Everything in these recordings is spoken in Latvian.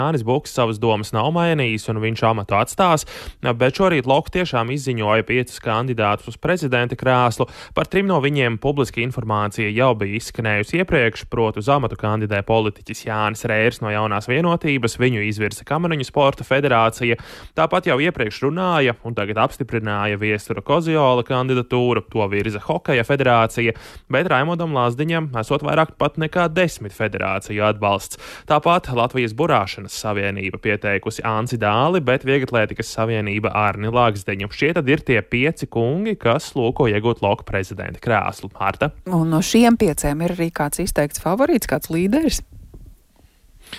Jānis Buks savas domas nav mainījis un viņš amatu atstās, bet šorīt Loka tiešām izziņoja 5 kandidātus uz prezidenta krēslu. Par 3 no viņiem publiska informācija jau bija izskanējusi iepriekš, proti uz amatu kandidē politiķis Jānis Rērs no Jaunās vienotības, viņu izvirza Kamariņu sporta federācija. Tāpat jau iepriekš runāja un tagad apstiprināja Viestura Koziola kandidatūru, to virza Hokeja federācija, bet Raimondam Lazdiņam esot vairāk pat nekā 10 federāciju atbalsts. Tāpat Latvijas burāšanas savienība pieteikusi Anci Dāli, bet Vieglatlētikas savienība Arni Lāgsdeņu. Šie tad ir tie 5 kungi, kas lūko iegūt Loka prezidenta krēslu. Marta? Un no šiem 5 ir arī kāds izteikts favorīts, kāds līderis?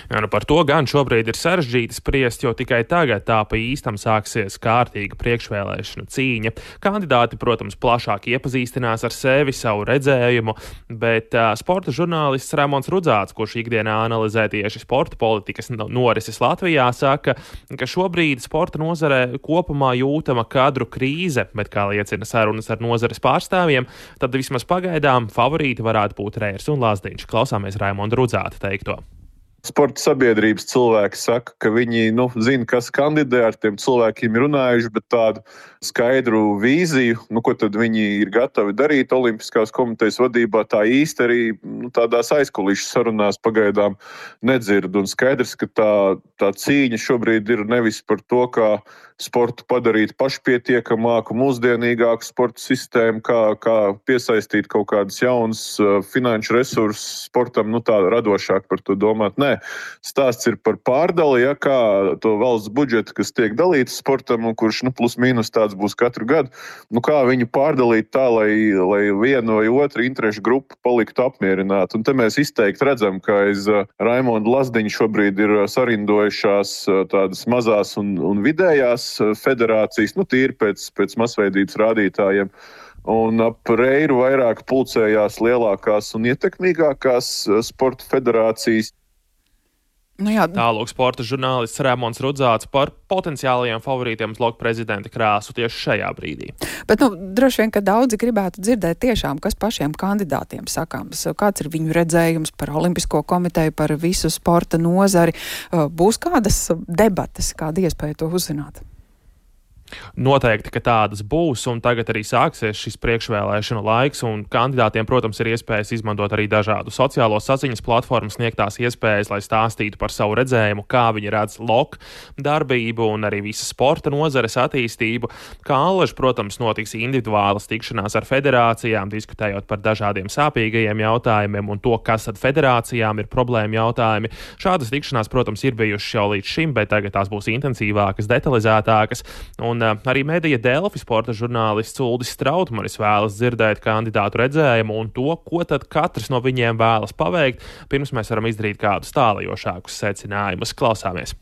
Jā, par to gan šobrīd ir sarežģīti spriest, jo tikai tagad tā pa īstam sāksies kārtīga priekšvēlēšanu cīņa. Kandidāti, protams, plašāk iepazīstinās ar sevi, savu redzējumu, bet sporta žurnālists Raimons Rudzāts, kurš ikdienā analizē tieši sporta politikas norises Latvijā, saka, ka šobrīd sporta nozarē kopumā jūtama kadru krīze, bet, kā liecina sarunas ar nozares pārstāvjiem, tad vismaz pagaidām favorīti varētu būt Rērs un Lazdiņš. Klausāmies Raimonda Rudzāta teikto. Sporta sabiedrības cilvēki saka, ka viņi zina, kas kandidē, ar tiem cilvēkiem ir runājuši, bet tādu skaidru vīziju, ko tad viņi ir gatavi darīt Olimpiskās komitejas vadībā, tā īsti arī tādās aizkulisku sarunās pagaidām nedzird. Un skaidrs, ka tā cīņa šobrīd ir nevis par to, kā sportu padarīt pašpietiekamāku, mūsdienīgāku sporta sistēmu, kā piesaistīt kaut kādas jaunas finanšu resursus sportam, tā radošāk par to domāt. Nē, stāsts ir par pārdali, kā to valsts budžetu, kas tiek dalīts sportam un kurš plus mīnus tāds būs katru gadu, kā viņu pārdalīt tā, lai viena vai otra interešu grupa paliktu apmierināta. Un te mēs izteikti redzam, ka aiz Raimonda Lazdiņa šobrīd ir sarindojušās tādas mazās un vidējās federācijas, tīri pēc masveidības rādītājiem. Un ap Reiru vairāk pulcējās lielākās un ietekmīgākās sporta federācijas. Tālūk sporta žurnālists Raimons Rudzāts par potenciālajiem favorītiem uz Loka prezidenta krēslu tieši šajā brīdī. Bet droši vien, ka daudzi gribētu dzirdēt tiešām, kas pašiem kandidātiem sakāms. Kāds ir viņu redzējums par Olimpisko komiteju, par visu sporta nozari? Būs kādas debates, kāda iespēja to uzzināt? Noteikti, ka tādas būs, un tagad arī sāksies šis priekšvēlēšanu laiks, un kandidātiem, protams, ir iespējas izmantot arī dažādu sociālo saziņas platformu sniegtās iespējas, lai stāstītu par savu redzējumu, kā viņi redz Loka darbību un arī visas sporta nozares attīstību. Kā allaž, protams, notiks individuālas tikšanās ar federācijām, diskutējot par dažādiem sāpīgajiem jautājumiem un to, kas tad federācijām ir problēma jautājumi. Šādas tikšanās, protams, ir bijušas jau līdz šim, bet tagad tās būs intensīvākas, detalizētākas. Un arī medija Delfi sporta žurnālists Uldis Strautmanis vēlas dzirdēt kandidātu redzējumu un to, ko tad katrs no viņiem vēlas paveikt, pirms mēs varam izdarīt kādus tālajošākus secinājumus. Klausāmies!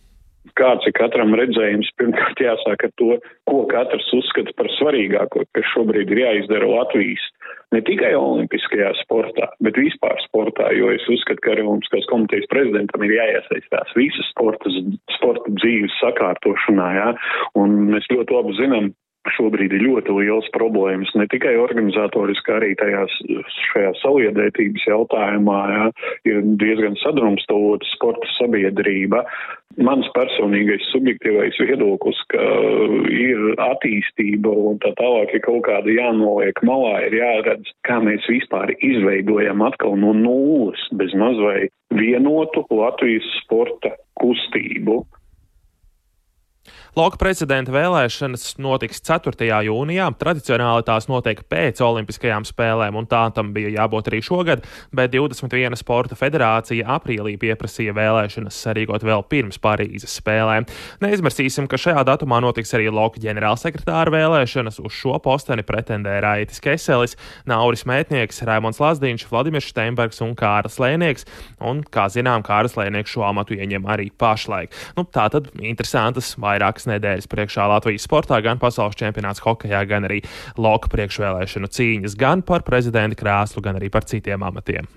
Kāds ir katram redzējums? Pirmkārt jāsāk ar to, ko katrs uzskata par svarīgāko, kas šobrīd ir jāizdara Latvijas. Ne tikai olimpiskajā sportā, bet vispār sportā, jo es uzskatu, ka arī Olimpiskās komitejas prezidentam ir jāiesaistās visas sporta dzīves sakārtošanā, un mēs ļoti labi zinām, šobrīd ir ļoti liels problēmas, ne tikai organizatoriski, arī šajā saliedētības jautājumā, ir diezgan sadrumstalota sporta sabiedrība. Mans personīgais subjektīvais viedoklis, ka ir attīstība un tā tālāk, ja kaut kāda jānoliek malā, ir jāredz, kā mēs vispār izveidojam atkal no nulles bez maz vai vienotu Latvijas sporta kustību. Loka prezidenta vēlēšanas notiks 4. jūnijā. Tradicionāli tās notiek pēc Olimpiskajām spēlēm, un tā tam bija jābūt arī šogad, bet 21 sporta federācija aprīlī pieprasīja vēlēšanas sarīkot vēl pirms Parīzes spēlēm. Neizmirsīsim, ka šajā datumā notiks arī Loka ģenerālsekretāra vēlēšanas. Uz šo posteni pretendē Raitis Keselis, Nauris Mētnieks, Raimons Lazdiņš, Vladimirs Steinbergs un Kārlis Lēnieks. Un, kā zinām, Kārlis Lēnieks šo amatu ieņem arī pašlaik. Tātad interesantas vairākas nedēļas priekšā Latvijas sportā, gan pasaules čempionāts hokejā, gan arī Loka priekšvēlēšanu cīņas, gan par prezidenta krēslu, gan arī par citiem amatiem.